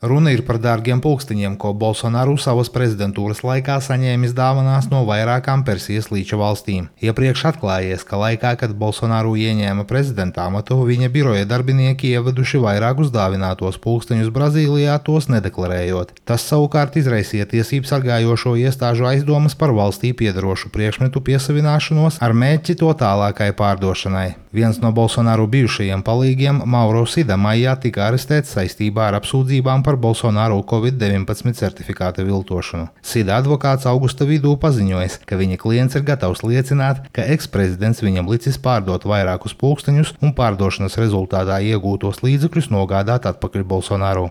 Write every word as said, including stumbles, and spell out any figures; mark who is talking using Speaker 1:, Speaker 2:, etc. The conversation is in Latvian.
Speaker 1: Runa ir par dārgiem pulksteņiem, ko Bolsonaru savas prezidentūras laikā saņēmis dāvanās no vairākām Persijas līča valstīm. Iepriekš atklājies, ka laikā, kad Bolsonaru ieņēma prezidenta amatu, viņa biroja darbinieki ieveduši vairākus dāvinātos pulksteņus Brazīlijā, tos nedeklarējot. Tas savukārt izraisīja tiesību sargājošo iestāžu aizdomas par valstī piederošu priekšmetu piesavināšanos ar mērķi to tālākai pārdošanai. Viens no Bolsonaru bijušajiem palīgiem, Mauro Sida, maijā tika arestēts saistībā ar apsūdzībām par Bolsonaru Covid deviņpadsmit certifikāta viltošanu. Sida advokāts augusta vidū paziņojis, ka viņa klients ir gatavs liecināt, ka eksprezidents viņam licis pārdot vairākus pulksteņus un pārdošanas rezultātā iegūtos līdzekļus nogādāt atpakaļ Bolsonaru.